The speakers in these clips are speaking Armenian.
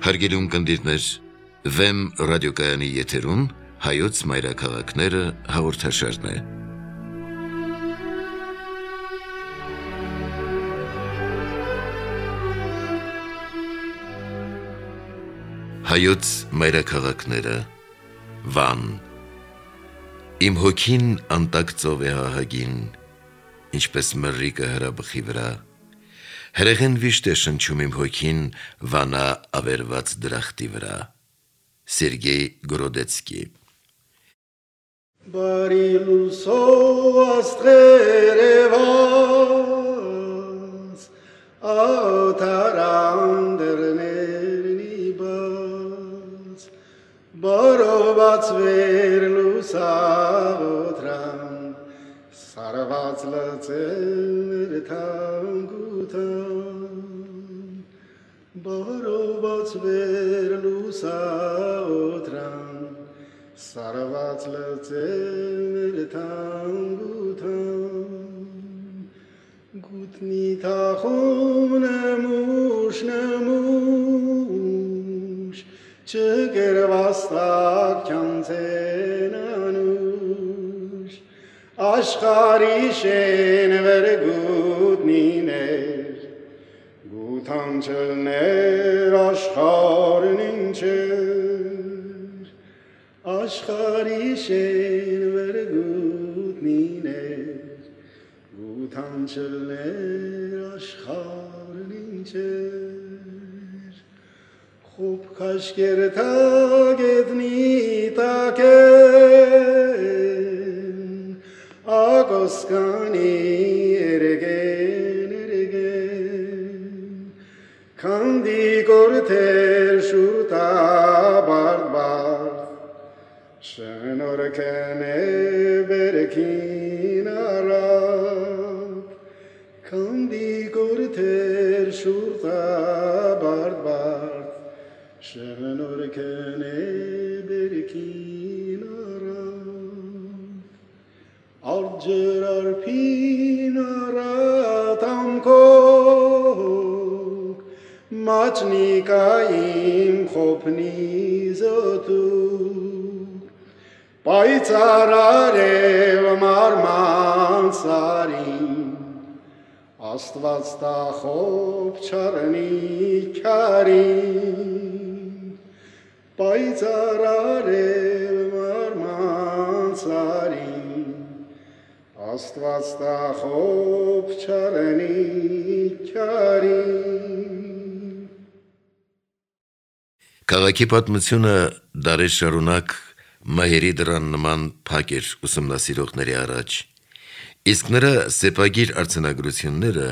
Հարգելի ունկնդիրներ, Վեմ ռադիոկայանի եթերում հայոց մայրաքաղաքները հաղորդաշարն է։ Հայոց մայրաքաղաքները, Վան։ Իմ հոգին անտակ ծով է հահագին, ինչպես մռիկը հրաբխի վրա։ Հրեղեն վիշտ է շնչում իմ հոգին Վանա ավերված դրախտի վրա։ Սերգեյ Գրոդեցկի։ Բարի լուսով աստղեր եվաց, աթարանդրներնի բաց, բարով բացվեր լուսավորան, սարված լծեր թանգութան, բարով բացվեր լուսավորան, սարված լծեր թանգութան, գուտնի թախում նմուշ, չգրվաստակ չանցեն անուշ, աշխարի շեն վեր գուտնիներ, գութան չլներ աշխարն ինչեր, աշխարի շեն վեր գուտնիներ, գութան չլներ աշխարն ինչեր, խոբ կաշկեր թագետնի տակեն, ագոսկանի երգեն, քանդի կորթեր շուրտա բարդ, շնորհքն է բերքին առավ, քանդի կորթեր շուրտա բարդ, շնորհքն է բերքին առավ, աջրարփին առատամքոք, մաչնիկային խոփնի զոտուկ, պայծառ արև մարման սարին, Աստված տա խոփ չառնի քարին, պայծառ արև մարման սարին, Աստված տա խոփ չառնի քարին։ Քաղաքի պատմությունը դարեր շարունակ մահերի դռան նման փակ էր ուսումնասիրողների առաջ, իսկ նրա սեպագիր արձանագրությունները,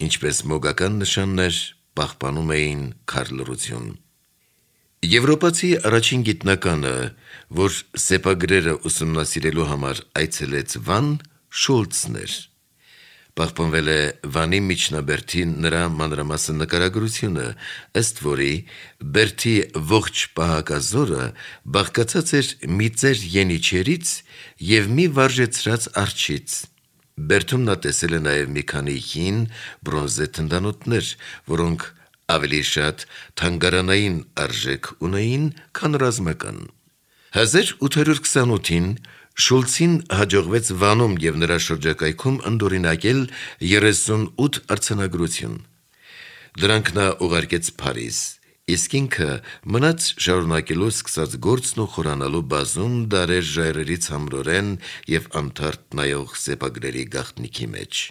ինչպես մոգական նշաններ, պահպանում էին քարլռություն։ Եվրոպացի առաջին գիտնականը, որ սեպագրերը ուսումնասիրելու համար այցելեց Վան, Շուլցն էր։ Պահպանվել է Վանի միջնաբերդի նրա մանրամասն նկարագրությունը, ըստ որի բերդի ողջ պահակազորը բաղկացած էր մի ծեր ենիչերից և մի վարժեցրած արջից։ Բերդում նա տեսել է նաև մի քանի հին բրոնզե թնդանոթներ, որոնք ավելի շատ թանգարանային արժեք ունեին, քան ռազմական։ 1828-ին Շուլցին հաջողվեց Վանում և նրա շրջակայքում ընդօրինակել 38 արձանագրություն։ Դրանք նա ուղարկեց Փարիզ, իսկ ինքը մնաց շարունակելու սկսած գործն ու խորանալու բազում դարեր ժայռերի ցամրորեն և անթարթ նայող սեպագրերի գաղտնիքի մեջ։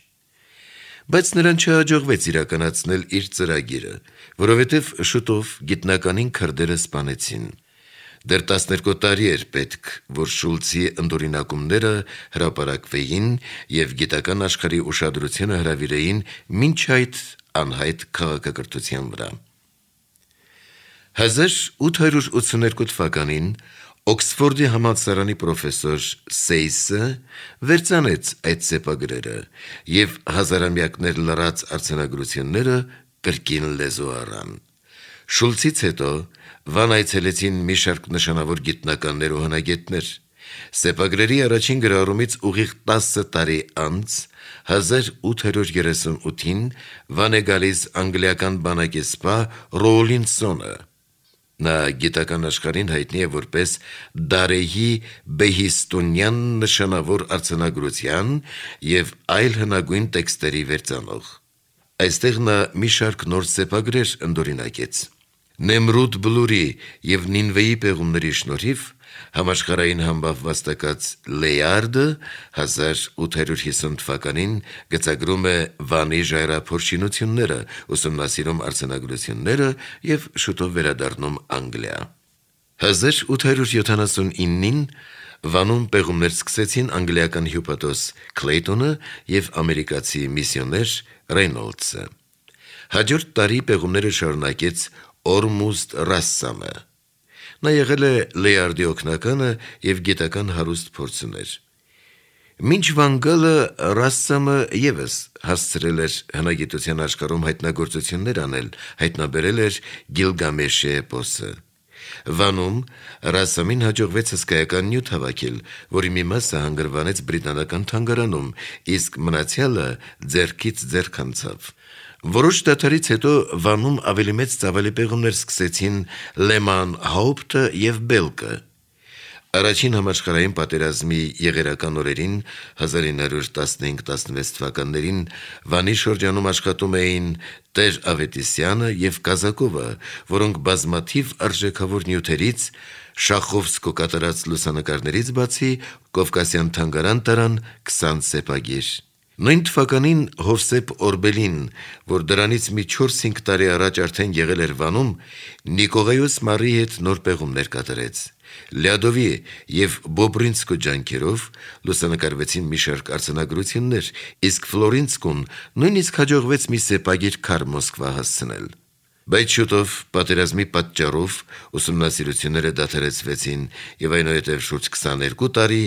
Բայց նրան չհաջողվեց իրականացնել իր ծրագիրը, որովհետև շուտով գիտնականին քրդերը սպանեցին։ Դեռ 12 տարի էր պետք, որ Շուլցի ընդօրինակումները հրապարակվեին և գիտական աշխարհի ուշադրությունը հրավիրեին մինչ այդ անհայտ քաղաքակրթության վրա։ 1882 թվականին Օքսֆորդի համալսարանի պրոֆեսոր Սեյսը վերծանեց այդ սեպագրերը և հազարամյակներ լռած արձանագրությունները կրկին լեզու առան։ Շուլցից հետո Վան այցելեցին մի շարք նշանավոր գիտնականներ ու հնագետներ։ Սեպագրերի առաջին գրառումից ուղիղ 10 տարի անց 1838-ին Վան է գալիս անգլիական բանակեսպա Ռոուլինսոնը։ Նա գիտական աշխարհին հայտնի է որպես Դարեհի Բեհիստոնյան նշանավոր արձանագրության եւ այլ հնագույն տեքստերի վերծանող։ Այստեղ նա մի շարք նոր սեպագրեր ընդօրինակեց։ Նեմրուդ Բլուրի եւ Նինվեի պեղումների շնորհիվ համաշխարհային համբավ վաստակած Լեյարդը 1850 թվականին գծագրում է Վանի ժայռափոր ուսումնասիրում արձանագրությունները եւ շուտով վերադառնում Անգլիա։ 1879-ին Վանում պեղումներ սկսեցին անգլիական հյուպատոս Քլեյտոնը եւ ամերիկացի միսիոներ Ռեյնոլդսը։ Հաջորդ տարի պեղումները շարունակեց Օրմուստ Ռասսամը։ Նա եղել է Լեյարդի օգնականը եւ գիտական հարուստ փորձ ուներ։ Մինչ Վան Գալը Ռասսամը եւս հասցրել էր հնագիտության աշխարհում հայտնագործություններ անել, հայտնաբերել էր Գիլգամեշի էպոսը։ Վանում Ռասսամին հաջողվեց հսկայական նյութ հավաքել, որի մի մասը հանգրվանեց բրիտանական թանգարանում, իսկ մնացյալը ձեռքից ձեռք անցավ։ Որոշ դադարից հետո Վանում ավելի մեծ ծավալի պեղումներ սկսեցին Լեման Հաուպտը եւ Բելկը։ Առաջին համաշխարհային պատերազմի եղերական օրերին 1915-16 թվականներին Վանի շրջանում աշխատում էին Տեր Ավետիսյանը եւ Կազակովը, որոնք բազմաթիվ արժեքավոր նյութերից Շախովսկու կատարած լուսանկարներից բացի Կովկասյան թանգարան տարան 20 սեպագիր։ Նույն թվականին Հովսեփ Օրբելին, որ դրանից մի 4-5 տարի առաջ արդեն եղել էր Վանում, Նիկողայոս Մարի հետ նոր պեղումներ կատարեց։ Լյադովի եւ Բոբրինսկու ջանքերով լուսանկարվեցին մի շարք արձանագրություններ, իսկ Ֆլորինսկուն նույնիսկ հաջողվեց մի սեպագիր քար Մոսկվա հասցնել։ Բայց շուտով պատերազմի պատճառով ուսումնասիրությունները դադարեցվեցին եւ այնուհետեւ շուրջ 22 տարի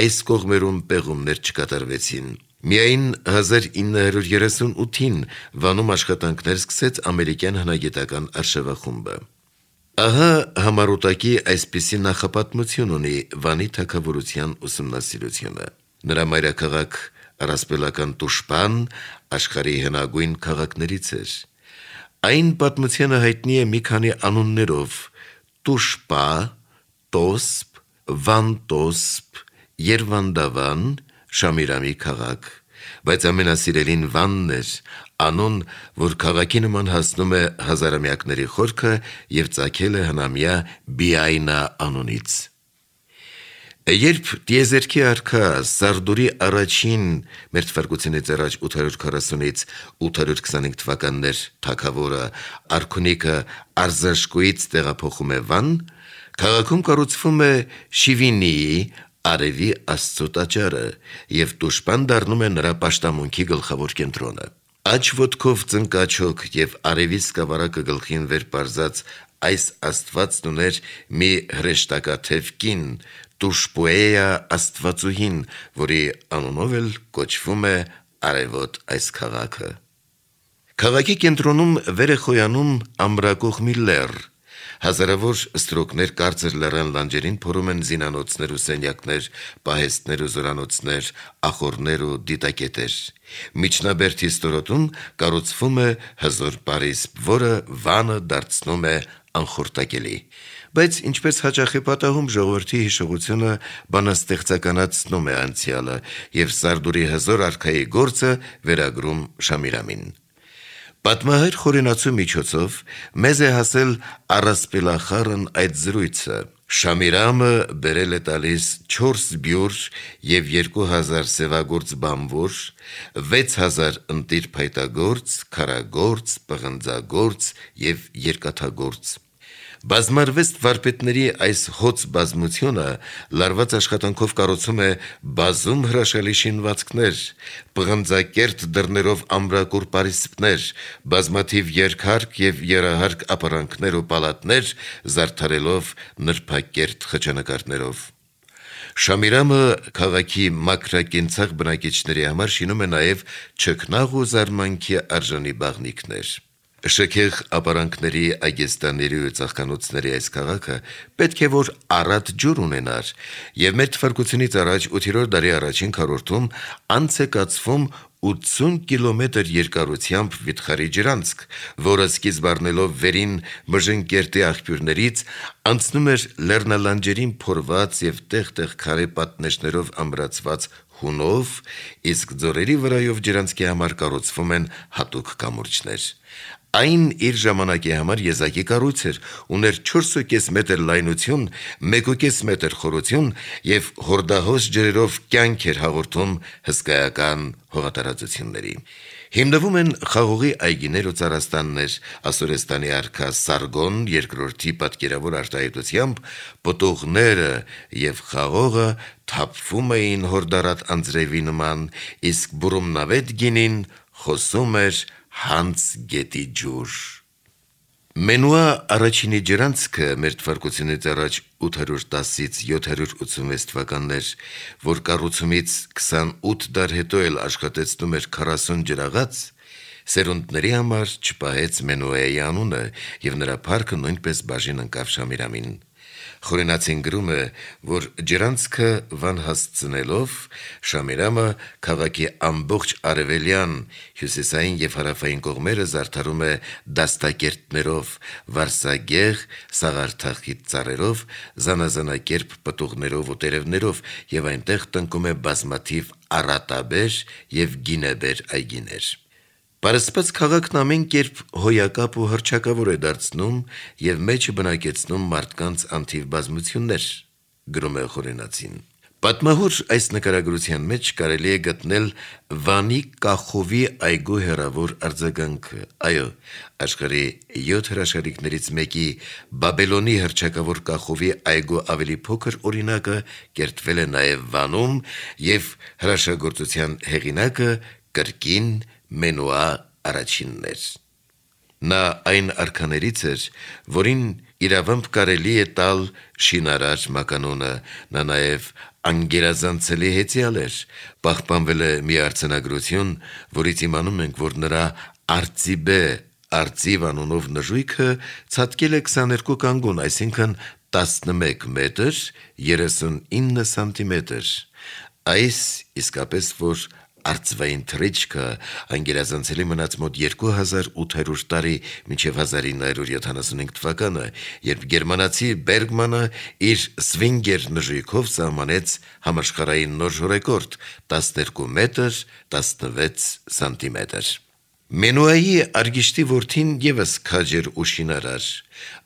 այս կողմերում պեղումներ չկատարվեցին։ Միայն 1938-ին Վանում աշխատանքներ սկսեց ամերիկյան հնագիտական արշավախումբը։ Ահա համառուտակի այսպիսի նախապատմություն ունի Վանի թագավորության ուսումնասիրությունը։ Նրա մայրաքաղաք առասպելական Տուշպան աշխարհի հնագույն քաղաքներից էր։ Այն պատմությունը հայտնի է մի քանի անուններով՝ Տուշպա, Տոսպ, Վանտոսպ, Երվանդավան, Շամիրամի քաղաք, բայց ամենասիրելին Վանն էր, անուն, որ քաղաքի նման հասնում է հազարամյակների խորքը եւ ծագել է հնամյա Բիայնա անունից։ Երբ Տիեզերքի արքա Սարդուրի առաջին մեր թվարկությունից առաջ 840-ից 825 թվականներ թագավորը Արքունիկը Արզաշկոյից տեղափոխում է Վան, քաղաքում կառուցվում է Շիվինիի արևի աստծո տաճարը եւ Տուշպան դառնում է նրա պաշտամունքի գլխավոր կենտրոնը։ Աջ ոտքով ծնկաչոք եւ արևի սկավառակը գլխին վեր պարզած այս աստվածն ուներ մի հրեշտակաթև կին, Տուշպուեյա աստվածուհին, որի անունով էլ կոչվում է արևոտ այս քաղաքը։ Քաղաքի կենտրոնում վեր է խոյանում ամրակող մի լեռ։ Հազարավոր ստրոկներ կարծր լեռան լանջերին փորում են զինանոցներ ու սենյակներ, պահեստներ ու զորանոցներ, ախոռներ ու դիտակետեր։ Միջնաբերդի ստորոտում կառուցվում է հզոր պարիսպ, որը Վանը դարձնում է անխորտակելի։ Բայց ինչպես հաճախ է պատահում, ժողովրդի հիշողությունը բանաստեղծականացնում է անցյալը եւ Սարդուրի հզոր արքայի գործը վերագրում Շամիրամին։ Պատմահայր խորենացու միջոցով մեզ է հասել առասպելախառն այդ զրույցը։ Շամիրամը բերել է տալիս 4 բյուր եւ 2000 սևագործ բամբոր, 6000 ընտիր փայտագործ, քարագործ, պղնձագործ եւ երկաթագործ։ Բազմարվեստ վարպետների այս հոծ բազմությունը լարված աշխատանքով կառուցում է բազում հրաշալի շինվածքներ, պղնձակերտ դռներով ամրակուր պարիսպներ, բազմաթիվ երկհարկ եւ երահարկ ապարանքներ ու պալատներ, զարդարելով նրբակերտ խճանկարներով։ Շամիրամը քաղաքի մակրակենցաղ բնակիչների համար շինում է նաեւ չքնաղ ու զարմանքի արժանի բաղնիքներ։ Շքեղ ապարանքների, այգեստանների ու ծաղկանոցների այս քաղաքը պետք է որ առատ ջուր ունենար, եւ մեր թվարկությունից առաջ 8-րդ դարի առաջին քառորդում անց է կացվում 80 կիլոմետր երկարությամբ վիթխարի ջրանցք, որը սկիզբ առնելով վերին Մժնկերտի աղբյուրներից անցնում էր լեռնալանջերին փորված եւ տեղ-տեղ քարե պատնեշներով ամրացված հունով, իսկ ձորերի վրայով ջրանցքի համար կառուցվում են հատուկ կամուրջներ։ Այն իր ժամանակի համար եզակի կառույց էր, ուներ 4.5 մետր լայնություն, 1.5 մետր խորություն եւ հորդահոս ջրերով կյանք էր հաղորդում հսկայական հողատարածությունների։ Հիմնվում են խաղողի այգիներ ու ծառաստաններ, Ասորեստանի արքա Սարգոն II պատկերավոր արտահայտությամբ պտուղները եւ խաղողը թափվում էին հորդարատ անձրևի նման, իսկ բուրումնավետ գինին խոսում էր հանց գետի ջուր։ Մենուա առաջինի ջրանցքը մեր թվարկությունից առաջ 810-ից 786 թվականներ, որ կառուցումից 28 դար հետո էլ աշխատեցնում էր 40 ջրաղաց, սերունդների համար չպահեց Մենուայի անունը եւ նրա փառքը նույնպես բաժին ընկավ Շամիրամին։ Խորենացին գրում է, որ ջրանցքը վան հասցնելով Շամիրամը քաղաքի ամբողջ արևելյան, հյուսիսային եւ հարավային կողմերը զարդարում է դաստակերտներով, վարսագեղ, սաղարթախիտ ծառերով, զանազանակերպ պտուղներով ու տերևներով եւ այնտեղ տնկում է բազմաթիվ առատաբեր եւ գինեբեր այգիներ։ Պարսպած քաղաքն ամեն կերպ հոյակապ ու հռչակավոր է դարձնում եւ մեջը բնակեցնում մարդկանց անթիվ բազմություններ, գրում է Խորենացին։ Պատմահոր այս նկարագրության մեջ կարելի է գտնել Վանի Կախովի այգու հեռավոր արձագանքը։ Այո, աշխարհի 7 հրաշալիքներից մեկի Բաբելոնի հռչակավոր Կախովի այգու ավելի փոքր օրինակը կերտվել է նաեւ Վանում եւ հրաշագործության հեղինակը կրկին Մենուա առաջինն էր։ Նա այն արքաներից էր, որին իրավամբ կարելի է տալ շինարար մականունը, նա նաև անգերազանցելի հեծյալ էր, պահպանվել է մի արձանագրություն, որից իմանում ենք, որ նրա Արծիվ անունով նժույգը ցատկել է 22 կանգուն, այսինքն 11 մետր 39 սանտիմետր։ Այս իսկապես որ արծվային թռիչքը անգերազանցելի մնաց մոտ 2800 տարի մինչև 1975 թվականը, երբ գերմանացի Բերգմանը իր Սվինգեր նժույգով սահմանեց համաշխարհային նոր ռեկորդ 12 մետր 16 սանտիմետր։ Մենուայի արգիշտի որդին եւս քաջ էր ու շինարար։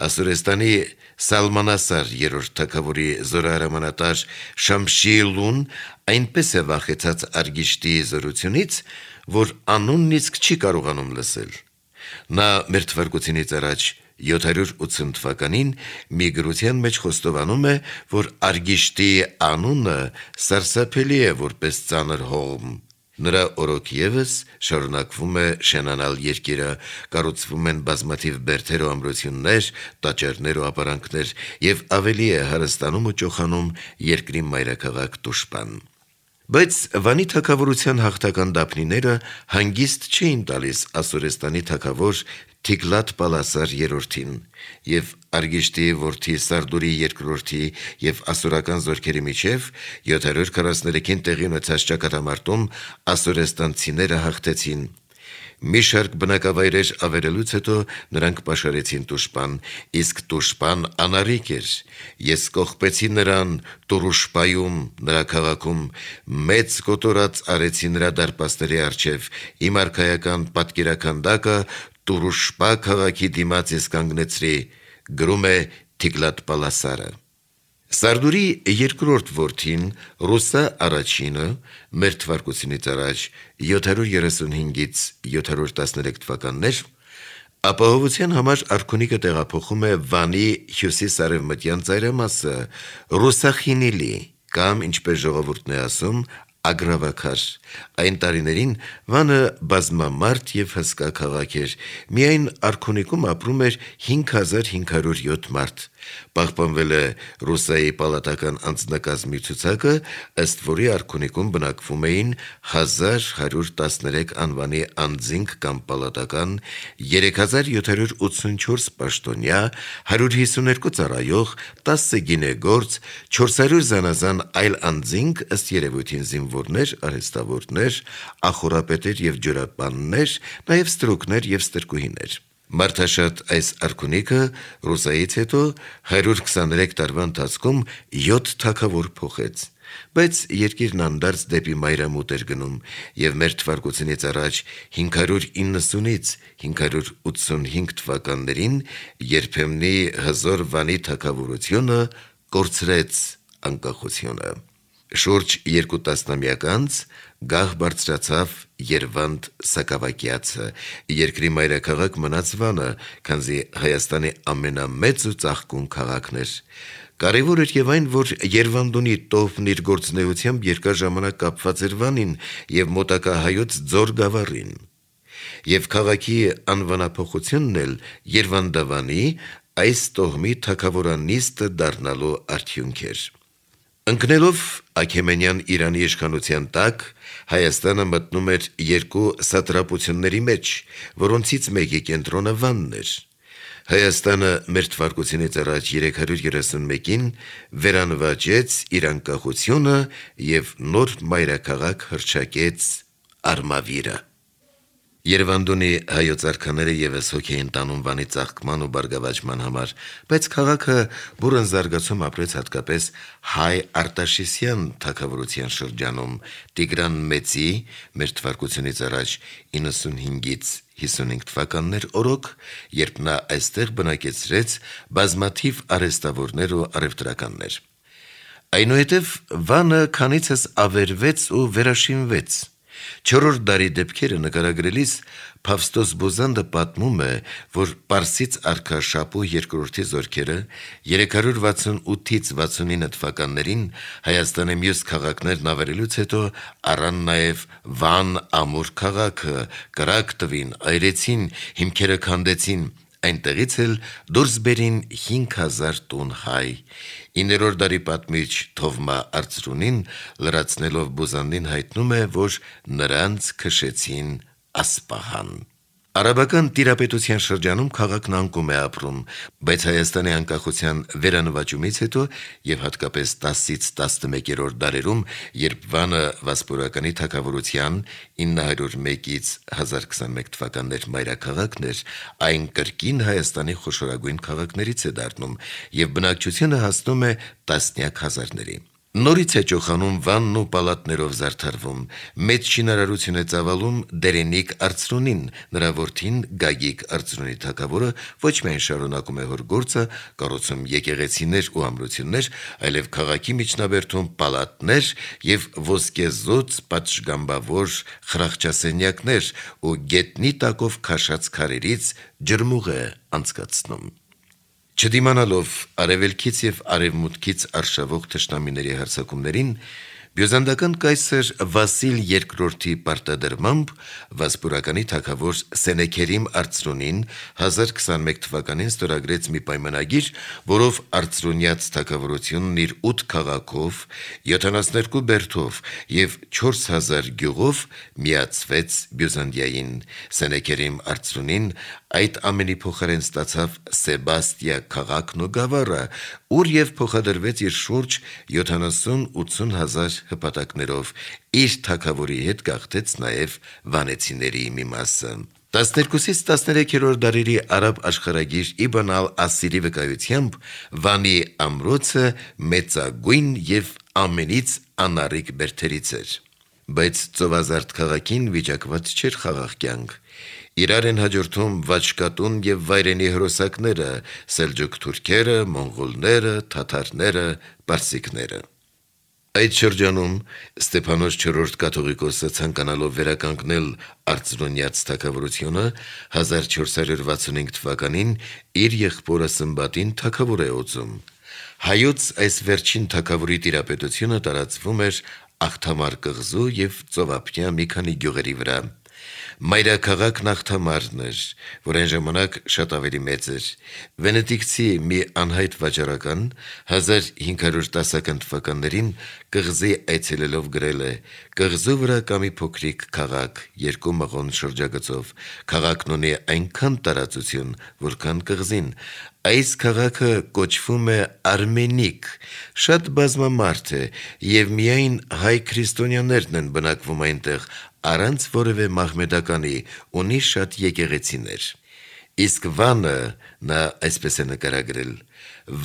Ասորեստանի Սալմանասար երրորդ թագավորի զորահրամանատար Շամշիլուն այնպես է վախեցած արգիշտի զորությունից, որ անունն իսկ չի կարողանում լսել։ Նա մեր թվարկությունից առաջ 780 թվականին մի գրության մեջ խոստովանում է, որ արգիշտի անունը սարսափելի է որպես ծանր հողմ։ Նրա օրոք եւս շարունակվում է շենանալ երկիրը, կառուցվում են բազմաթիվ բերդեր ու ամրություններ, տաճարներ ու ապարանքներ եւ ավելի է հարստանում ու ճոխանում երկրի մայրաքաղաք Տուշպան։ Բայց Վանի թագավորության հաղթական դափնիները հանգիստ չէին տալիս Ասորեստանի թագավոր Թիգլատ-Պալասար III-ին եւ արգիշտի որդի Սարդուրի II-ի եւ ասորական զորքերի միջև 743-ին տեղի ունեցած ճակատամարտում ասորեստանցիները հաղթեցին։ Մի շարք բնակավայրեր ավերելուց հետո նրանք պաշարեցին Տուշպան, իսկ Տուշպան անառիկ էր։ Ես կողպեցի նրան Տուրուշպայում, նրա քաղաքում, մեծ կոտորած արեցի նրա դարպասների առջև, իմ արքայական պատկերաքանդակը Տուրուշպա քաղաքի դիմաց ես կանգնեցրի, գրում է Թիգլատ-Պալասարը։ Սարդուրի երկրորդ որդին Ռուսա առաջինը մեր թվարկությունից առաջ 735-ից 713 թվականներ ապահովության համար արքունիքը տեղափոխում է Վանի հյուսիս-արևմտյան ծայրամասը Ռուսախինիլի կամ ինչպես ժողովուրդն է ասում ագրավաքար։ Այն տարիներին Վանը բազմամարդ եւ հսկա քաղաք էր, միայն արքունիքում ապրում էր 5507 մարդ։ Պահպանվել է Ռուսայի պալատական անձնակազմի ցուցակը, ըստ որի արքունիքում բնակվում էին 1113 անվանի անձինք կամ պալատական, 3784 պաշտոնյա, 152 ծառայող, 10 գինեգործ, 400 զանազան այլ անձինք ըստ երևույթին զինվոր զինվորներ, արհեստավորներ, ախորապետեր եւ ջրապաններ, նաեւ ստրուկներ եւ ստրկուհիներ։ Մարդաշատ այս արքունիքը Ռուսայից հետո 123 տարվա ընթացքում 7 թագավոր փոխեց, բայց երկիրն անդարձ դեպի մայրամուտ էր գնում եւ մեր թվարկությունից առաջ 590-ից 585 թվականներին երբեմնի հզոր Վանի թագավորությունը կորցրեց անկախությունը։ Շուրջ 2 տասնամյակ անց գահ բարձրացավ Երվանդ Սակավակյացը, երկրի մայրաքաղաք մնաց Վանը, քանզի Հայաստանի ամենամեծ ու ծաղկուն քաղաքն էր։ Կարևոր էր եւ այն, որ Երվանդունի տոհմն իր գործունեությամբ երկար ժամանակ կապված էր Վանին եւ մոտակա հայոց Ձոր գավառին։ Եվ քաղաքի անվանափոխությունն էլ Երվանդավանի այս տոհմի թագավորանիստը դառնալու արդյունք էր։ Ընկնելով Աքեմենյան Իրանի իշխանության տակ, Հայաստանը մտնում էր երկու սատրապությունների մեջ, որոնցից մեկի կենտրոնը Վանն էր։ Հայաստանը մեր թվարկությունից առաջ 331-ին վերանվաճեց իր անկախությունը եւ նոր մայրաքաղաք հռչակեց Արմավիրը։ Երևանդունի հայոց արքաները եւս հոգ էին տանում Վանի ծաղկման ու բարգավաճման համար, բայց քաղաքը բուրըն զարգացում ապրեց հատկապես հայ Արտաշիսյան թագավորության շրջանում Տիգրան Մեծի մեր թվարկությունից առաջ 95-ից 55 թվականներ օրոք, երբ նա այստեղ բնակեցրեց բազմաթիվ արհեստավորներ ու առևտրականներ։ Այնուհետև Վանը քանիցս ավերվեց ու վերաշինվեց։ 4-րդ դարի դեպքերը նկարագրելիս Փավստոս Բոզանդը պատմում է, որ Պարսից արքա Շապու II-ի զորքերը 368-ից 69 թվականներին Հայաստանի մյուս քաղաքներն ավերելուց հետո առան նաև Վան ամուր քաղաքը, կրակ տվին, այրեցին, հիմքերը քանդեցին, այնտեղից էլ դուրս բերին 5000 տուն հայ։ 9-րդ դարի պատմիչ Թովմա Արծրունին լրացնելով Բոզանդին հայտնում է, որ նրանց քշեցին Ասպահան։ Արաբական տիրապետության շրջանում քաղաքն անկում է ապրում, բայց Հայաստանի անկախության վերանվաճումից հետո եւ հատկապես 10-ից 11-րդ դարերում, երբ Վանը Վասպուրականի թագավորության 901-ից 1021 թվականներ մայրաքաղաքն էր, այն կրկին Հայաստանի խոշորագույն քաղաքներից է դառնում եւ բնակչությունը հասնում է տասնյակ հազարների։ Նորից է ճոխանում Վանն ու պալատներով զարդարվում, մեծ շինարարություն է ծավալում Դերենիկ Արծրունին, նրա որդին Գագիկ Արծրունի թագավորը ոչ միայն շարունակում է հոր գործը, կառուցում եկեղեցիներ ու ամրություններ, այլև քաղաքի միջնաբերդում պալատներ եւ ոսկեզոծ պատշգամբավոր խրախճասենյակներ ու գետնի տակով քաշած քարերից ջրմուղ է անցկացնում։ Չդիմանալով արևելքից եւ արևմուտքից արշավող թշնամիների հարձակումներին, բյուզանդական կայսր Վասիլ II-ի պարտադրմամբ Վասպուրականի թագավոր Սենեքերիմ Արծրունին 1021 թվականին ստորագրեց մի պայմանագիր, որով Արծրունյաց թագավորությունն իր 8 քաղաքով, 72 բերդով եւ 4000 գյուղով միացվեց Բյուզանդիային։ Սենեքերիմ Արծրունին այդ ամենի փոխարեն ստացավ Սեբաստիա քաղաքն ու գավառը, ուր եւ փոխադրվեց իր շուրջ 70-80 հազար հպատակներով, իր թագավորի հետ գաղթեց նաեւ վանեցիների մի մասը։ 12-ից 13-րդ դարերի արաբ աշխարհագիր Իբն ալ-Ասիրի վկայությամբ Վանի ամրոցը մեծագույն եւ ամենից անառիկ բերդերից էր, բայց ծովազարդ քաղաքին վիճակված չէր խաղաղ կյանք։ Իրար են հաջորդում վաճկատուն եւ վայրենի հրոսակները, սելջուկ թուրքերը, մոնղոլները, թաթարները, պարսիկները։ Այդ շրջանում Ստեփանոս IV կաթողիկոսը ցանկանալով վերականգնել Արծրունյաց թագավորությունը 1465 թվականին իր եղբորը Սմբատին թագավոր է օծում։ Հայոց այս վերջին թագավորի տիրապետությունը տարածվում էր Աղթամար կղզու եւ ծովափնյա մի քանի գյուղերի վրա։ Մայրաքաղաքն Աղթամարն էր, որ այն ժամանակ շատ ավելի մեծ էր։ Վենետիկցի մի անհայտ վաճառական 1510 թվականներին կղզի այցելելով գրել է. «Կղզու վրա կա մի փոքրիկ քաղաք, 2 մղոն շրջագծով։ Քաղաքն ունի այնքան տարածություն, որքան կղզին։ Այս քաղաքը կոչվում է Արմենիկ, շատ բազմամարդ է, եւ միայն հայ քրիստոնյաներն են բնակվում այնտեղ, առանց որևէ մահմեդականի, ունի շատ եկեղեցիներ։ Իսկ Վանը, նա այսպես է նկարագրել,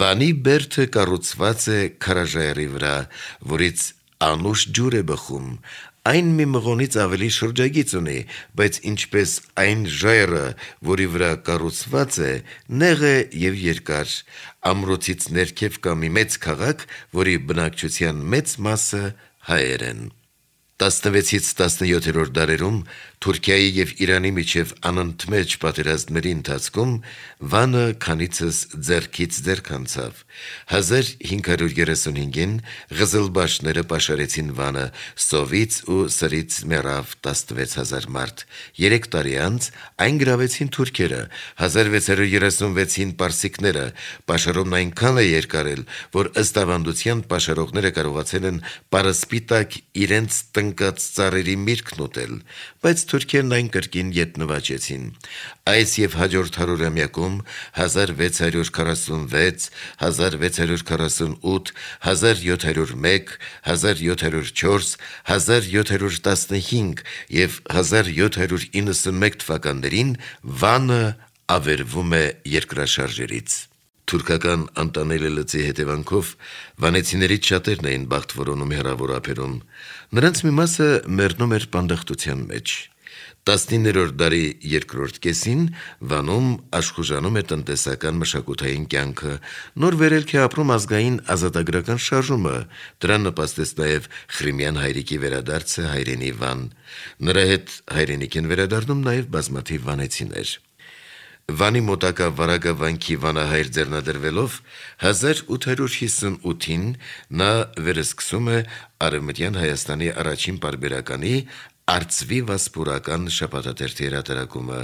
Վանի բերդը կառուցված է քարաժայռի վրա, որից անուշ ջուր է բխում, այն մի մղոնից ավելի շրջագիծ ունի, բայց ինչպես այն ժայռը, որի վրա կառուցված է, նեղ է եւ երկար, ամրոցից ներքև կա մի մեծ քաղաք, որի բնակչության մեծ մասը հայեր են։ 16-ից 17-րդ դարերում Թուրքիայի եւ Իրանի միջև անընդմեջ պատերազմների ընթացքում Վանը քանիցս ձեռքից ձեռք անցավ։ 1535-ին ղզլբաշները պաշարեցին Վանը, սովից ու սրից մեռավ 16000 մարդ։ 3 տարի անց այն գրավեցին թուրքերը, 1636-ին պարսիկները։ Պաշարումն այնքան է երկարել, որ ըստ ավանդության պաշարողները կարողացել են պարսպիտակ իրենց տնկած ծառերի միրգն ուտել, բայց թուրքերն այն կրկին ետ նվաճեցին։ Այս եւ հաջորդ հարյուրամյակում 1646, 1648, 1701, 1704, 1715 եւ 1791 թվականներին Վանը ավերվում է երկրաշարժերից։ Թուրքական անտանելի լծի հետևանքով վանեցիներից շատերն էին բախտ որոնում հեռավոր ափերում։ Նրանց մի մասը մեռնում էր պանդախտության մեջ։ 19-րդ դարի երկրորդ կեսին Վանում աշխուժանում է տնտեսական մշակութային կյանքը, նոր վերելք է ապրում ազգային ազատագրական շարժումը, դրան նպաստեց նաև Խրիմյան հայրիկի վերադարձը հայրենի Վան։ Նրա հետ հայրենիք են վերադառնում նաև բազմաթիվ վանեցիներ։ Վանի մոտակա Վարագա վանքի վանահայր ձեռնադրվելով 1858-ին նա վերսկսում է Արևմտյան Հայաստանի առաջին պարբերականի Արծվի վասպուրական շաբաթաթերթի հրատարակումը,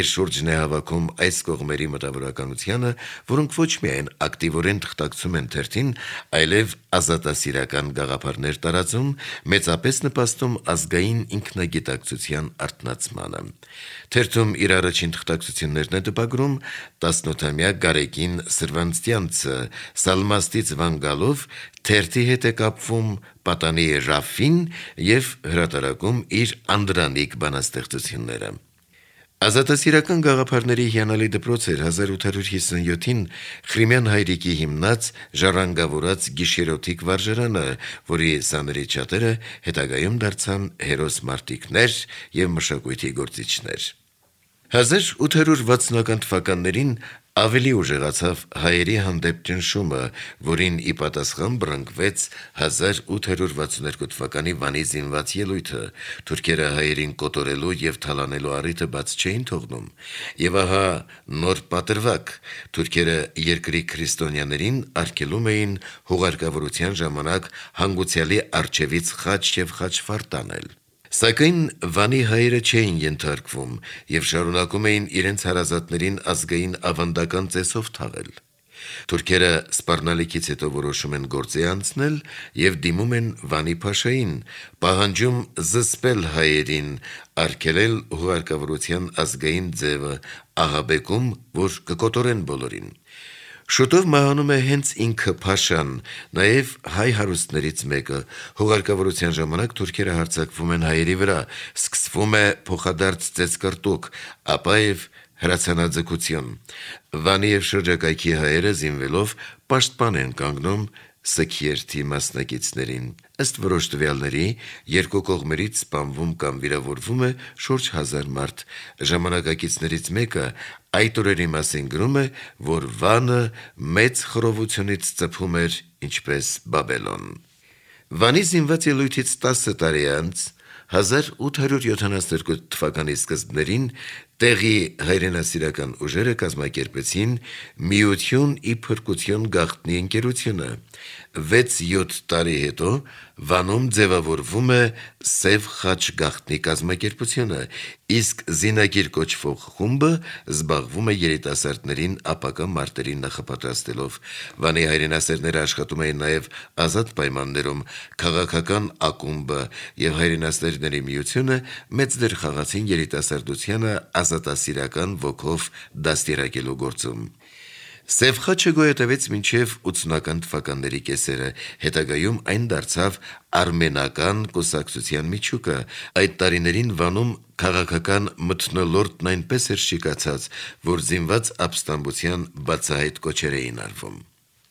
իր շուրջն է հավաքում այս կողմերի մտավորականությանը, որոնք ոչ միայն ակտիվորեն թղթակցում են թերթին, այլև ազատասիրական գաղափարներ տարածում, մեծապես նպաստում ազգային ինքնագիտակցության արթնացմանը։ Թերթում իր առաջին թղթակցություններն է տպագրում 18-ամյա Գարեգին Սրվանցյանցը, Սալմաստից Վան գալով թերթի հետ է կապվում պատանի Ռաֆին եւ հրատարակում իր անդրանիկ բանաստեղծությունները։ Ազատասիրական գաղափարների հիանալի դպրոց էր 1857-ին Խրիմյան հայրիկի հիմնած ժառանգավորած գիշերօթիկ վարժարանը, որի սաներից շատերը հետագայում դարձան հերոս մարտիկներ եւ մշակույթի գործիչներ։ 1860-ական թվականներին ավելի ուժեղացավ հայերի հանդեպ ճնշումը, որին ի պատասխան բռնկվեց 1862 թվականի Վանի զինված ելույթը։ Թուրքերը հայերին կոտորելու եւ թալանելու առիթը բաց չէին թողնում։ Եվ ահա նոր պատրվակ։ Թուրքերը երկրի քրիստոնյաներին արգելում էին հուղարկավորության ժամանակ հանգուցյալի առջևից խաչ եւ խաչվար տանել։ Սակայն Վանի հայերը չէին ենթարկվում եւ շարունակում էին իրենց հարազատներին ազգային ավանդական ծեսով թաղել։ Թուրքերը սպառնալիքից հետո որոշում են գործի անցնել եւ դիմում են Վանի փաշային, պահանջում զսպել հայերին, արգելել հուղարկավորության ազգային ձևը, ահաբեկում, որ կկոտորեն բոլորին։ Շուտով մահանում է հենց ինքը փաշան, նաև հայ հարուստներից մեկը։ Հուղարկավորության ժամանակ թուրքերը հարձակվում են հայերի վրա, սկսվում է փոխադարձ ծեծկռտուք, ապա եւ հրացանաձգություն։ Վանի եւ շրջակայքի հայերը զինվելով պաշտպան են կանգնում Սքերթի մասնակիցներին։ Ըստ որոշ տվյալների, երկու կողմերից սպանվում կամ վիրավորվում է շուրջ 1000 մարդ։ Ժամանակակիցներից մեկը այդ օրերի մասին գրում է, որ Վանը մեծ խռովությունից ծփում էր ինչպես Բաբելոն։ Վանի զինված ելույթից 10 տարի անց 1872 թվականի սկզբներին տեղի հայրենասիրական ուժերը կազմակերպեցին Միություն ի փրկություն գաղտնի ընկերությունը։ 6-7 տարի հետո Վանում ձևավորվում է Սև խաչ գաղտնի կազմակերպությունը, իսկ Զինագիր կոչվող խումբը զբաղվում է երիտասարդներին ապագա մարտերի նախապատրաստելով։ Վանի հայրենասերները աշխատում էին նաև ազատ պայմաններում, քաղաքական ակումբը եւ հայրենասերների միությունը մեծ դեր խաղացին երիտասարդությանը ազատասիրական ոգով դաստիարակելու գործում։ Սև խաչը գոյատևեց մինչև 80-ական թվականների կեսերը, հետագայում այն դարձավ արմենական կուսակցության միջուկը, այդ տարիներին Վանում քաղաքական մթնոլորտն այնպես էր շիկացած, որ զինված ապստամբության բացահայտ կոչեր էին արվում։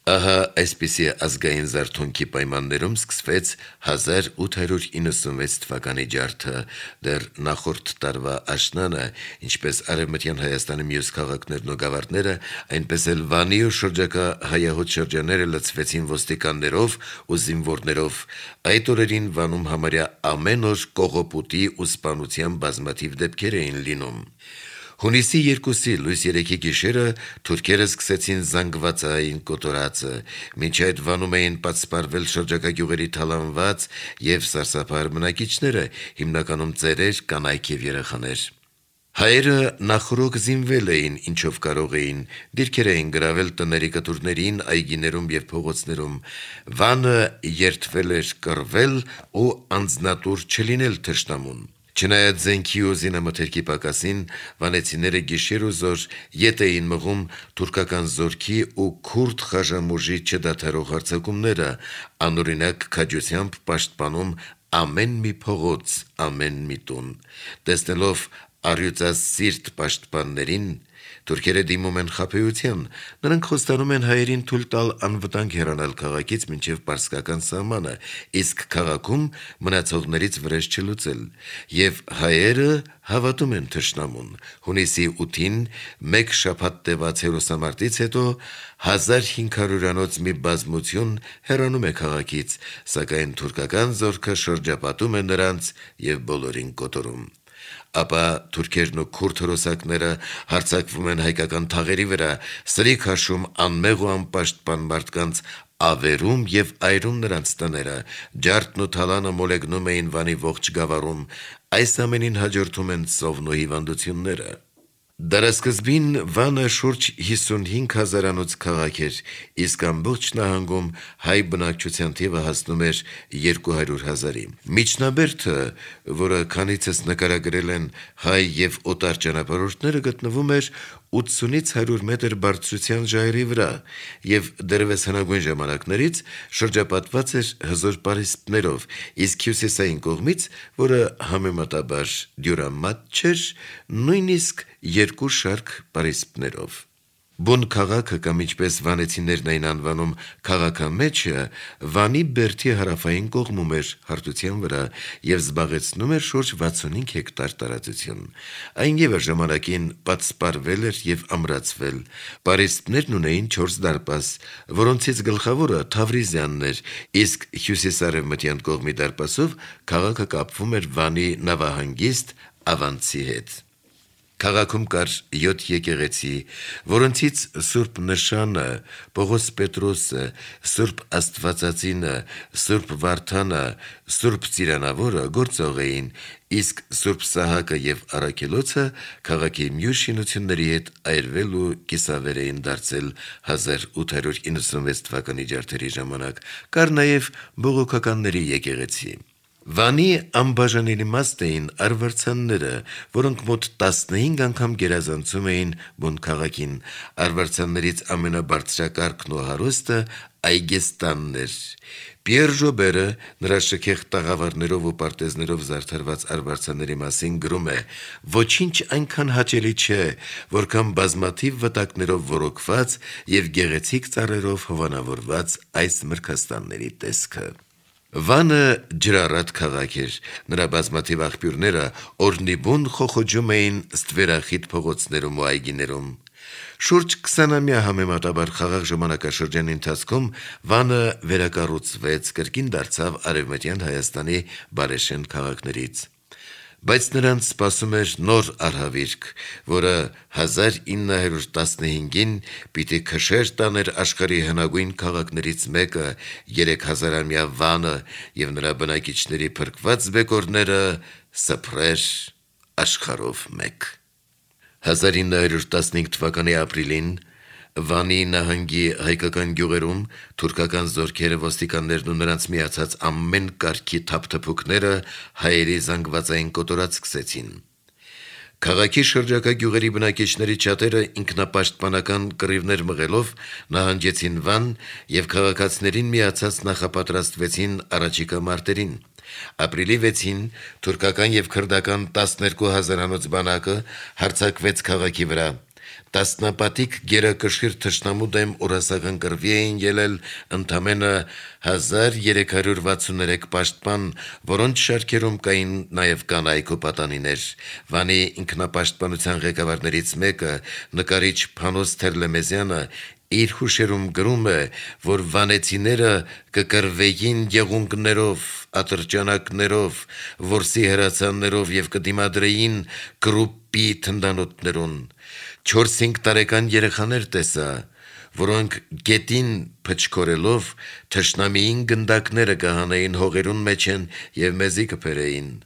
Ահա այսպիսի ազգային զարթոնքի պայմաններում սկսվեց 1896 թվականի ջարդը, դեռ նախորդ տարվա աշնանը, ինչպես Արևմտյան Հայաստանի մյուս քաղաքներն ու գավառները, այնպես էլ Վանի ու շրջակա հայահոտ շրջանները լցվեցին ոստիկաններով ու զինվորներով։ Այդ օրերին Վանում համարյա ամեն օր կողոպուտի ու սպանության բազմաթիվ դեպքեր էին լինում։ Հունիսի 2-ի լույս 3-ի գիշերը թուրքերը սկսեցին զանգվածային կոտորածը, մինչ այդ Վանում էին պատսպարվել շրջակա գյուղերի թալանված եւ սարսափահար բնակիչները, հիմնականում ծերեր, կանայք եւ երեխաներ։ Հայերը նախորոք զինվել էին, ինչով կարող էին, դիրքեր էին գրավել տների կտուրներին, այգիներում եւ փողոցներում։ Վանը երդվել էր կռվել ու անձնատուր չլինել թշնամուն։ Չնայած զենքի ու զինամթերքի պակասին, վանեցիները գիշեր ու զոր ետ էին մղում թուրքական զորքի ու քուրդ խաժամուժի չդադարող հարձակումները, անօրինակ քաջությամբ պաշտպանում ամեն մի փողոց, ամեն մի տուն։ Տեսնելով առյուծասիրտ պաշտպաններին, թուրքերը դիմում են խաբեության, նրանք խոստանում են հայերին թույլ տալ անվտանգ հեռանալ քաղաքից մինչև պարսկական սահմանը, իսկ քաղաքում մնացողներից վրեժ չլուծել, եւ հայերը հավատում են թշնամուն։ Հունիսի 8-ին, մեկ շաբաթ տևած հերոսամարտից հետո 1500-անոց մի բազմություն հեռանում է քաղաքից, սակայն թուրքական զորքը շրջապատում է նրանց եւ բոլորին կոտորում։ Ապա թուրքերն ու քուրդ հրոսակները հարձակվում են հայկական թաղերի վրա, սրիկ հաշում անմեղ ու անպաշտպան մարդկանց, ավերում եւ այրում նրանց տները, ջարդն ու թալանը մոլեգնում էին Վանի ողջ գավառում, այս ամենին հաջորդում են սովն ու հիվանդությունները։ Դարասկզբին Վանը շուրջ 55,000-անոց քաղաք էր, իսկ ամբողջ նահանգում հայ բնակչության թիվը հասնում էր 200,000-ի։ Միջնաբերդը, որը քանիցս նկարագրել են հայ եւ օտար ճանապարհորդները, գտնվում էր 80-ից 100 մետր բարձրության ժայռի վրա եւ դեռևս հնագույն ժամանակներից շրջապատված էր հզոր պարիսպներով, իսկ հյուսիսային կողմից, որը համեմատաբար դյուրամատ չէր, նույնիսկ 2 շարք պարիսպներով։ Բուն քաղաքը կամ ինչպես վանեցիներն էին անվանում քաղաքամեջը, Վանի բերդի հարավային կողմում էր հարթության վրա եւ զբաղեցնում էր շուրջ 65 հեկտար տարածություն։ Այն եւս ժամանակին պատսպարվել էր եւ ամրացվել։ Պարիսպներն ունեին 4 դարպաս, որոնցից գլխավորը Թավրիզյանն էր, իսկ հյուսիսարևմտյան կողմի դարպասով քաղաքը կապվում էր Վանի նավահանգիստ Ավանցի հետ։ Քաղաքում կար 7 եկեղեցի, որոնցից Սուրբ Նշանը, Պողոս Պետրոսը, Սուրբ Աստվածածինը, Սուրբ Վարդանը, Սուրբ Ծիրանավորը գործող էին, իսկ Սուրբ Սահակը եւ Առաքելոցը քաղաքի մյուս շինությունների հետ այրվել ու կիսավեր էին դարձել 1896 թվականի ջարդերի ժամանակ։ Կար նաեւ բողոքականների եկեղեցի։ Վանի անբաժանելի մաս էին արվարձանները, որոնք մոտ 15 անգամ գերազանցում էին բուն քաղաքին։ Արվարձաններից ամենաբարձրակարգն ու հարուստը Այգեստանն էր։ Պիեր Ժոբերը նրա շքեղ տաղավարներով ու պարտեզներով զարդարված արվարձանների մասին գրում է. «Ոչինչ այնքան հաճելի չէ, որքան բազմաթիվ վտակներով ոռոգված եւ գեղեցիկ ծառերով հովանավորված այս մրգաստանների տեսքը»։ Վանը ջրառատ քաղաք էր, նրա բազմաթիվ աղբյուրները օրնիբուն խոխոջում էին ստվերախիտ փողոցներում ու այգիներում։ Շուրջ 20-ամյա համեմատաբար խաղաղ ժամանակաշրջանի ընթացքում Վանը վերակառուցվեց, կրկին դարձավ Արևմտյան Հայաստանի բարեշեն քաղաքներից։ Բայց նրանց սպասում էր նոր արհավիրք, որը 1915-ին պիտի քշեր տաներ աշխարհի հնագույն քաղաքներից մեկը, 3000-ամյա Վանը եւ նրա բնակիչների փրկված բեկորները սփռեր աշխարհով մեկ։ 1915 թվականի ապրիլին Վանի նահանգի հայկական գյուղերում թուրքական զորքերը, ոստիկաններն ու նրանց միացած ամեն կարգի թափթփուկները հայերի զանգվածային կոտորած սկսեցին։ Քաղաքի շրջակա գյուղերի բնակիչների շատերը ինքնապաշտպանական կռիվներ մղելով նահանջեցին Վան եւ քաղաքացիներին միացած նախապատրաստվեցին առաջիկա մարտերին։ Ապրիլի 6-ին թուրքական եւ քրդական 12,000-անոց բանակը հարձակվեց քաղաքի վրա։ Տասնապատիկ գերակշիռ թշնամու դեմ օրասական կռվի էին ելել ընդամենը 1363 պաշտպան, որոնց շարքերում կային նաև կանայք ու պատանիներ։ Վանի ինքնապաշտպանության ղեկավարներից մեկը, նկարիչ Փանոս Թերլեմեզյանը, իր հուշերում գրում է, որ վանեցիները կկռվեին եղունգներով, ատրճանակներով, որսի հրացաններով եւ կդիմադրեին կրուպի թնդանոթներուն։ 4-5 տարեկան երեխաներ տեսա, որոնք գետին փչքորելով թշնամիին գնդակները կհանեին հողերուն մեջ են եւ մեզի կփերեին։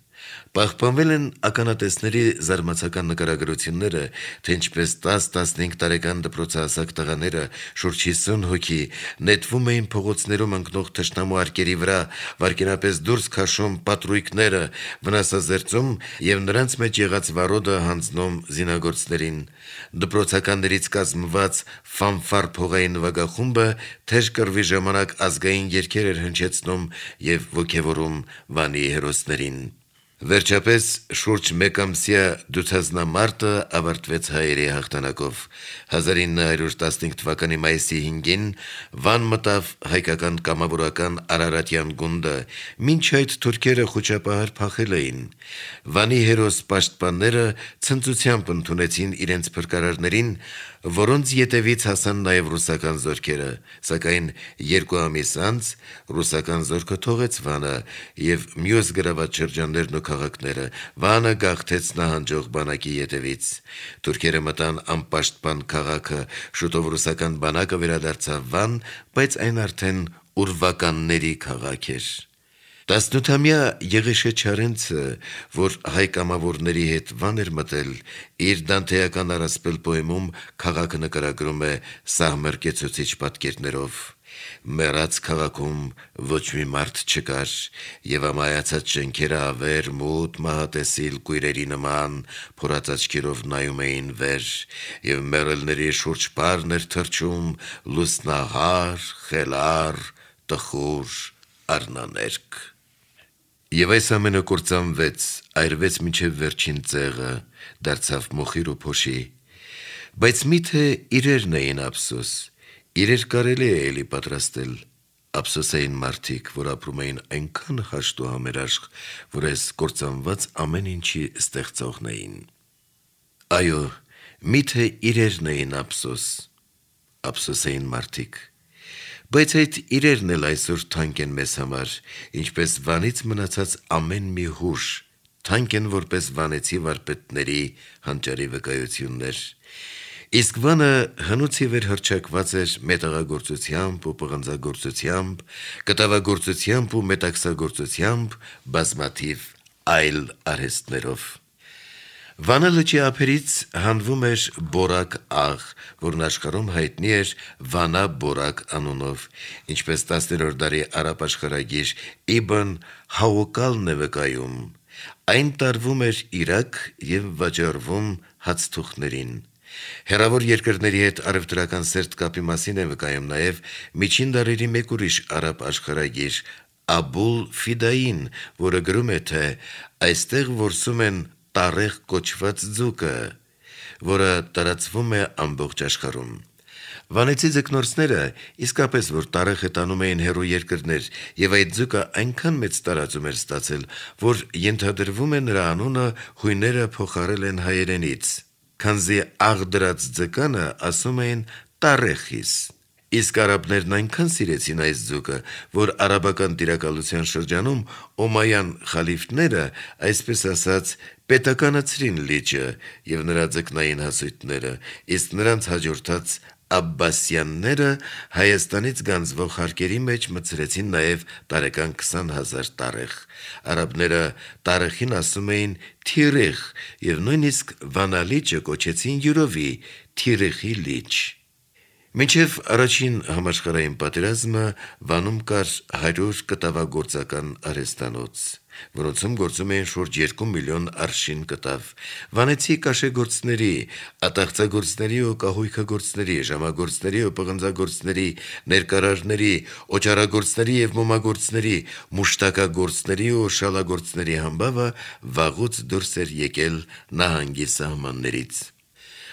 Պահպանվել են ականատեսների զարմացական նկարագրությունները, թե ինչպես 10-15 տարեկան դպրոցահասակ տղաները, շուրջ 50 հոգի, նետվում էին փողոցներում ընկնող թշնամու արկերի վրա, վարկենապես դուրս քաշում պատրույկները, վնասազերծում եւ նրանց մեջ եղած վարոդը հանձնում զինագործներին։ Դպրոցականներից կազմված ֆանֆար փողային նվագախումբը թեժ կռվի ժամանակ ազգային երգեր էր հնչեցնում եւ ոգևորում Վանի հերոսներին։ Վերջապես շուրջ մեկամսյա դուցազնամարտը ավարտվեց հայերի հաղթանակով։ 1915 թվականի մայիսի 5-ին Վան մտավ հայկական կամավորական Արարատյան գունդը, մինչ այդ թուրքերը խոչապահար փախել էին։ Վանի հերոս պաշտպանները ցնծությամբ ընդունեցին իրենց փրկարարներին, որոնց ետևից հասան նաև ռուսական զորքերը, սակայն 2 ամիս անց ռուսական զորքը թողեց Վանը եւ մյուս գրաված շրջաններն ու քաղաքները։ Վանը գաղթեց նահանջող բանակի ետևից։ Թուրքերը մտան անպաշտպան քաղաքը, շուտով ռուսական բանակը վերադարձավ Վան, բայց այն արդեն ուրվականների քաղաք էր։ 18-ամյա Եղեշե Չարենցը, որ հայ կամավորների հետ Վան էր մտել, իր դանթեական առասպել պոեմում քաղաքը նկարագրում է սահմռկեցուցիչ պատկերներով։ Մեռած քաղաքում ոչ մի մարդ չկար, եւ ամայացած շենքերը ավեր, մութ, մահատեսիլ կույրերի նման փորած աչքերով նայում էին վեր, եւ մեռելների շուրջ պարն էր թռչում լուսնահար, խելառ, տխուր առնաներկ։ Եվ այս ամենը կործանվեց, այրվեց մինչև վերջին ծեղը, դարձավ մոխիր ու փոշի։ Բայց միթե իրերն էին ափսոս, իրեր կարելի է էլի պատրաստել։ Ափսոս էին մարդիկ, որ ապրում էին այնքան հաշտ ու համերաշխ, որ այս կործանված ամեն ինչի ստեղծողն էին։ Այո, միթե իրերն էին ափսոս էին մարդիկ։ Բայց այդ իրերն էլ այսօր թանկ են մեզ համար, ինչպես Վանից մնացած ամեն մի հուշ, թանկ են որպես վանեցի վարպետների հանճարի վկայություններ։ Իսկ Վանը հնուց ի վեր հռչակված էր մետաղագործությամբ ու պղնձագործությամբ, կտավագործությամբ ու մետաքսագործությամբ, բազմաթիվ այլ արհեստներով։ Վանը լճի ափերից հանվում էր բորակ աղ, որն աշխարհում հայտնի էր Վանա բորակ անունով, ինչպես 10-րդ դարի արաբ աշխարհագիր Իբն Հաուկալն է վկայում։ Այն տարվում էր Իրաք եւ վաճառվում հացթուխներին։ Հեռավոր երկրների հետ առևտրական սերտ կապի մասին է վկայում նաև միջին դարերի մեկ ուրիշ արաբ աշխարհագիր Աբուլ Ֆիդային, որը գրում է, թե այստեղ որսում են տարեղ կոչված ձուկը, որը տարածվում է ամբողջ աշխարհում։ Վանեցի ձկնորսները իսկապես որ տարեխ տանում էին հեռու երկրներ, եւ այդ ձուկը այնքան մեծ տարածում էր ստացել, որ ենթադրվում է նրա անունը հույները փոխարել են հայերենից, քանզի աղ դրած ձկանը ասում էին տարեխիս։ Իսկ արաբներն այնքան սիրեցին այս ձուկը, որ արաբական տիրակալության շրջանում օմայան խալիֆները, այսպես ասած, պետականացրին լիճը եւ նրա ձկնային հասույթները, իսկ նրանց հաջորդած Աբբասյանները Հայաստանից գանձվող հարկերի մեջ մտցրեցին նաև տարեկան 20,000 տարեխ։ Արաբները տարեխին ասում էին թիրիխ եւ նույնիսկ Վանալիճը կոչեցին յուրովի թիրիխի լիճ։ Մինչև առաջին համաշխարհային պատերազմը Վանում կար 100 կտավագործական արհեստանոց, որոնցում գործում էին շուրջ 2 միլիոն արշին կտավ։ Վանեցի կաշեգործների, ատաղծագործների ու կահույքագործների, ժամագործների ու պղնձագործների, ներկարարների, օճառագործների և մոմագործների, մուշտակագործների ու շալագործների համբավը վաղուց դուրս էր եկել նահանգի սահմաններից։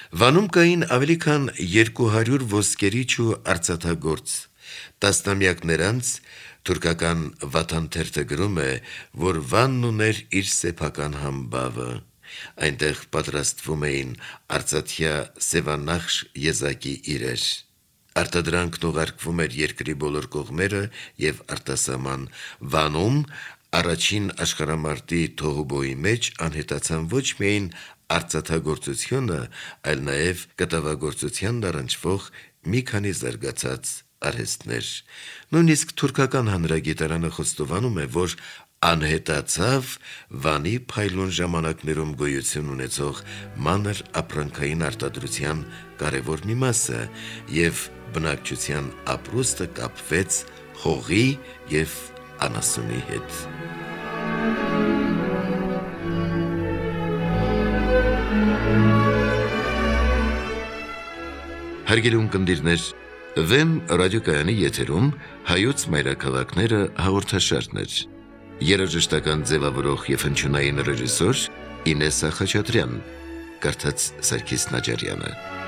Վանում կային ավելի քան 200 ոսկերիչ ու արծաթագործ։ Տասնամյակներ անց թուրքական Վաթան թերթը գրում է, որ Վանն ուներ իր սեփական համբավը։ Այնտեղ պատրաստվում էին արծաթյա սևանախշ եզակի իրեր։ Արտադրանքն ուղարկվում էր երկրի բոլոր կողմերը և արտասահման։ Վանում առաջին աշխարհամարտի թոհուբոհի մեջ անհետացան ոչ միայն արծաթագործությունը, այլ նաև կտավագործությանն առնչվող մի քանի զարգացած արհեստներ։ Նույնիսկ թուրքական հանրագիտարանը խոստովանում է, որ անհետացավ Վանի փայլուն ժամանակներում գոյություն ունեցող մանր ապրանքային արտադրության կարևոր մի մասը, և բնակչության ապրուստը կապվեց հողի և անասունի հետ։ Հարգելի ունկնդիրներ, Վեմ ռադիոկայանի եթերում հայոց մայրաքաղաքները հաղորդաշարն էր։ Երաժշտական ձևավորող և հնչյունային ռեժիսոր Ինեսա Խաչատրյան, կարդաց Սարգիս Նաջարյանը։